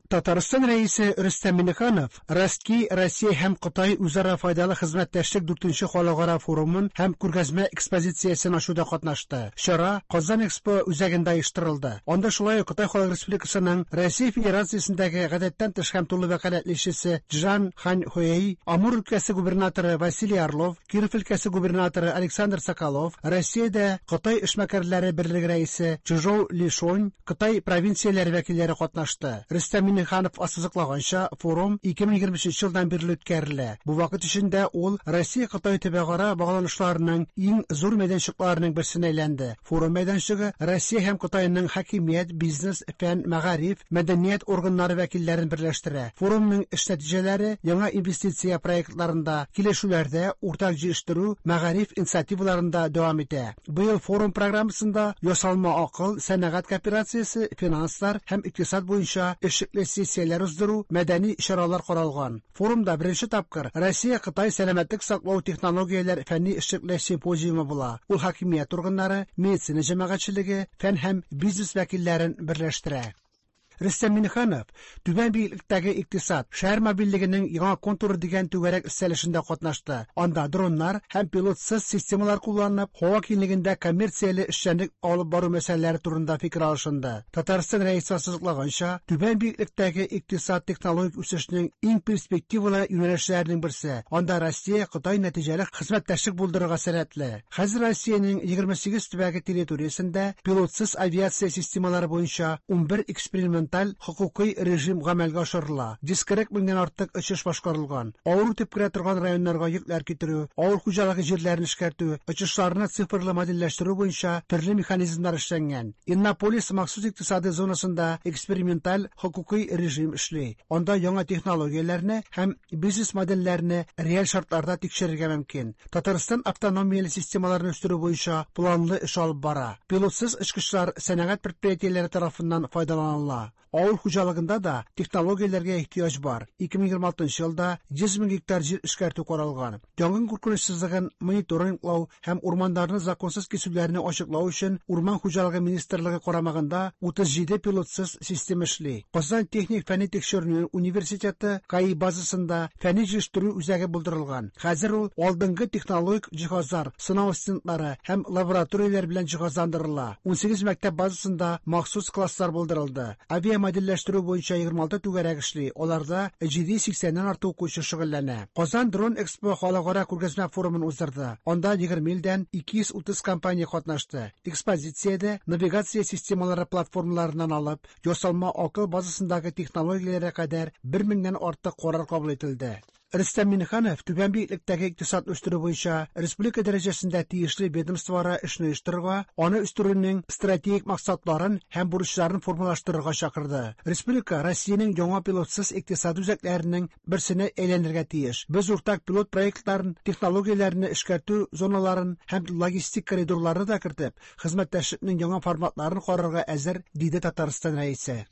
Татарстан Рәисе Рөстәм Миңнеханов Ростки Россия һәм Кытай үзара файдалы хезмәттәшлек дүртенче халыкара форумын һәм күргәзмә экспозициясен ачуда катнашты. Чара Казан Экспо үзәгендә оештырылды. Анда шулай ук Кытай Халык Республикасының Россия Федерациясендәге гадәттән тыш һәм тулы вәкаләтле илчесе Чжан Ханьхуэй, Амур өлкәсе губернаторы Василий Орлов, Киров өлкәсе губернаторы Александр Соколов, Россиядә Кытай эшмәкәрләре берлеге рәисе Чжоу Лишонь, Кытай провинцияләре вәкилләре катнашты. Рөстәм Миңнеханов ассызыклаганча, форум 2023 елдан бирле үткәрелә. Бу вакыт эчендә ул Россия-Кытай төбәкара багланышларының иң зур мәйданчыкларының берсенә әйләнде. Форум мәйданчыгы Россия һәм Кытайның хакимият, бизнес, фән, мәгариф, мәдәният органнары вәкилләрен берләштерә. Форумның эш нәтиҗәләре яңа инвестиция проектларында, килешүләрдә, уртак җыештыру, мәгариф инициативаларында дәвам итә. Быел форум программасында ясалма акыл, сәнәгать кооперациясе, финанслар һәм икътисад буенча эшлекле сессияләр уздыру, мәдәни чаралар каралган. Форумда беренче тапкыр Россия-Кытай сәламәтлек саклау технологияләр фәнни эшлекле симпозиумы була. Ул хакимият органнары, медицина җәмәгатьчелеге, фән һәм бизнес вәкилләрен берләштерә. Рөстәм Миңнеханов Түбән биеклектәге икътисад, шәһәр мобильлегенең яңа контуры дигән түгәрәк өстәл эшендә катнашты. Анда дроннар һәм пилотсыз системалар кулланып, һава киңлегендә коммерцияле эшчәнлек алып бару мәсьәләләре турында фикер алышынды. Татарстан Рәисе ассызыклаганча, түбән биеклектәге икътисад технологик үсешнең иң перспективалы юнәлешләренең берсе. Анда Россия Кытай нәтиҗәле хезмәттәшлек булдырырга сәләтле. Хәзер Россиянең 28 төбәге территориясендә пилотсыз авиация системалары буенча 11 эксперименталь хокукый режим гамәлгә ашырыла, 140 меңнән артык очыш башкарылган. Авыр үтеп керә торган районнарга йөкләр китерү, авыл хуҗалыгы җирләрен эшкәртү, очышларны цифрлы модельләштерү буенча төрле механизмнар эшләнгән. Иннополис махсус икътисадый зонасында эксперименталь хокукый режим эшли. Анда яңа технологияләрне һәм бизнес-модельләрне реаль шартларда тикшерергә мөмкин. Татарстан автономияле системаларны үстерү буенча планлы эш алып бара. Пилотсыз очкычлар сәнәгать предприятиеләре тарафыннан файдаланыла. Авыл хуҗалыгында да технологияләргә ихтыяҗ бар. 2026 елда 100 мең гектар җир эшкәртү каралган. Янгын куркынычсызлыгын мониторинглау һәм урманнарны законсыз кисүләрне ачыклау өчен Урман хуҗалыгы министрлыгы карамагында 37 пилотсыз система эшли. Казан техник фәнни тикшеренү университеты КАИ базасында фәнни җыештыру үзәге булдырылган. Хәзер ул алдынгы технологик җиһазлар, сынау стендлары һәм лабораторияләр белән җиһазландырыла. 18 мәктәп базасында махсус класслар булдырылды. Авиамодельләштерү буенча 26 түгәрәк эшли, аларда 780 нән артык укучы шөгыльләнә. Казан Дрон Экспо халыкара күргәзмә форумын уздырды. Анда 20 илдән 230 компания катнашты. Экспозициядә навигация системалары платформаларыннан алып, ясалма акыл базасындагы технологияләргә кадәр 1000 меңнән артык карар кабул ителде. Рөстәм Миңнеханов түбән биеклектәге икътисадны үстерү буенча республика дәрәҗәсендә тиешле ведомствоара эшне оештырырга, аны үстерүнең стратегик максатларын һәм бурычларын формалаштырырга чакырды. Республика Россиянең яңа пилотсыз икътисад үзәкләренең берсенә әйләнергә тиеш. Без уртак пилот проектларын, технологияләрне эшкәртү зоналарын һәм логистик коридорларны да кертеп, хезмәттәшлекнең яңа форматларын карарга әзер, диде Татарстан Рәисе.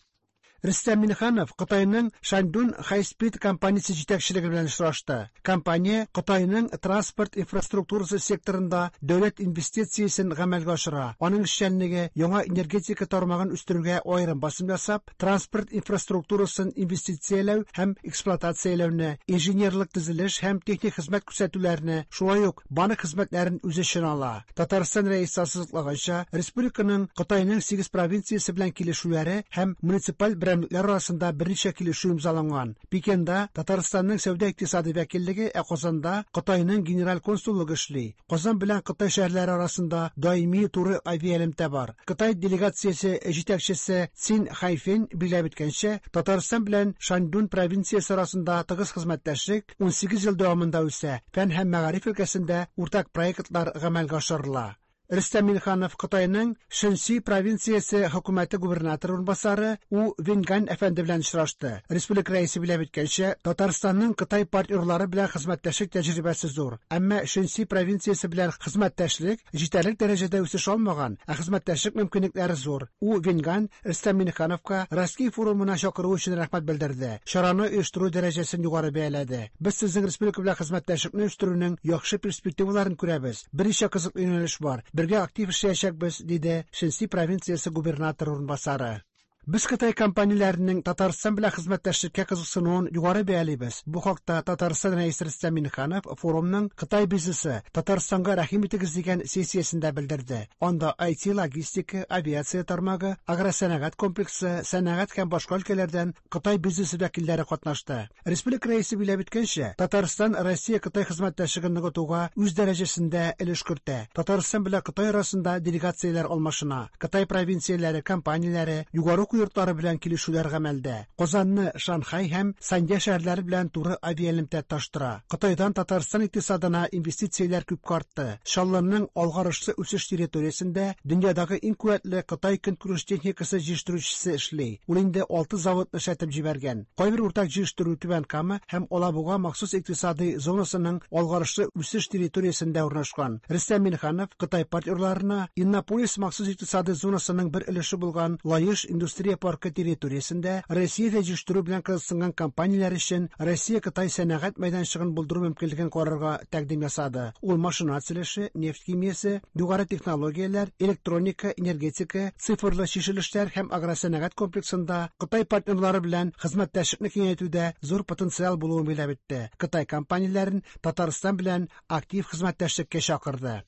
Рөстәм Миңнеханов Кытайның Шаньдун High-Speed компаниясе җитәкчелеге белән очрашты. Компания Кытайның транспорт инфраструктурасы секторында дәүләт инвестициясен гамәлгә ашыра. Аның эшчәнлеге яңа энергетика тармагын үстерүгә аерым басым ясап, транспорт инфраструктурасын инвестицияләү һәм эксплуатацияләүне, инженерлык төзелеш һәм техник хезмәт күрсәтүләрне, шулай ук банк хезмәтләрен үз эченә ала. Татарстан Рәисе ассызыклаганча, республиканың Кытайның сигез провинциясе белән килешүләре һәм муниципаль берәмлекләр арасында берничә килешү имзаланган. Пекинда Татарстанның сәүдә-икътисади вәкиллеге, ә Казанда Кытайның генераль консуллыгы эшли. Казан белән Кытай шәһәрләре арасында даими туры авиаэлемтә бар. Кытай делегациясе җитәкчесе Цин Хайфен билгеләп үткәнчә, Татарстан белән Шаньдун провинциясе арасында тыгыз хезмәттәшлек 18 ел дәвамында үсә. Фән һәм мәгариф өлкәсендә уртак проектлар гамәлгә ашырыла. Рөстәм Миңнеханов Кытайның Шэньси провинциясе хөкүмәте губернаторы урынбасары У Венгань әфәнде белән очрашты. Республика Рәисе билгеләп үткәнчә, Татарстанның Кытай партнерлары белән хезмәттәшлек тәҗрибәсе зур. Әмма Шэньси провинциясе белән хезмәттәшлек җитәрлек дәрәҗәдә үсеш алмаган, ә хезмәттәшлек мөмкинлекләре зур. У Венгань Рөстәм Миңнехановка Ростки форумына чакыру өчен рәхмәт белдерде, чараны оештыру дәрәҗәсен югары бәяләде. Без сезнең республика белән хезмәттәшлекне үстерүнең яхшы перспективаларын күрәбез. Берничә кызыклы юнәлеш бар. Бергә актив эшләячәкбез, диде Шэньси провинциясе губернаторы урынбасары. Без Кытай компанияләренең Татарстан белән хезмәттәшлеккә кызыксынуын югары бәялибез. Бу хакта Татарстан Рәисе Рөстәм Миңнеханов форумның Кытай бизнесы, Татарстанга рәхим итегез дигән сессиясендә белдерде. Анда IT, логистика, авиация тармагы, агросәнәгать комплексы, сәнәгать һәм башка өлкәләрдән Кытай бизнесы вәкилләре катнашты. Республика Рәисе билгеләп үткәнчә, Татарстан Россия-Кытай хезмәттәшлеген ныгытуга үз дәрәҗәсендә өлеш кертә. Татарстан белән Кытай арасында делегацияләр алмашына, Кытай провинцияләре, компанияләре, югары уку йортлары белән килешүләр гамәлдә. Казанны Шанхай һәм Санья шәһәрләре белән туры авиаэлемтә тоташтыра. Кытайдан Татарстан икътисадына инвестицияләр күпкә артты. Чаллының алгарышлы үсеш территориясендә дөньядагы иң куәтле Кытай көнкүреш техникасы җитештерүчесе эшли. Ул инде алты заводны эшләтеп җибәргән. Кайбер уртак җитештерү Түбән Кама һәм Алабуга махсус икътисадый зонасының алгарышлы үсеш территориясендә урнашкан. Рөстәм Миңнеханов Кытай партнерларына Иннополис махсус икътисадый зонасының бер өлеше булган Лаеш индустрия паркы территориясендә Россиядә җитештерү белән кызыксынган компанияләр өчен Россия-Кытай сәнәгать мәйданчыгын булдыру мөмкинлеген карарга тәкъдим ясады. Ул машина төзелеше, нефть химиясе, югары технологияләр, электроника, энергетика, цифрлы чишелешләр һәм агросәнәгать комплексында Кытай партнерлары белән хезмәттәшлекне киңәйтүдә зур потенциал булуын билгеләп үтте. Кытай компанияләрен Татарстан белән актив хезмәттәшлеккә чакырды.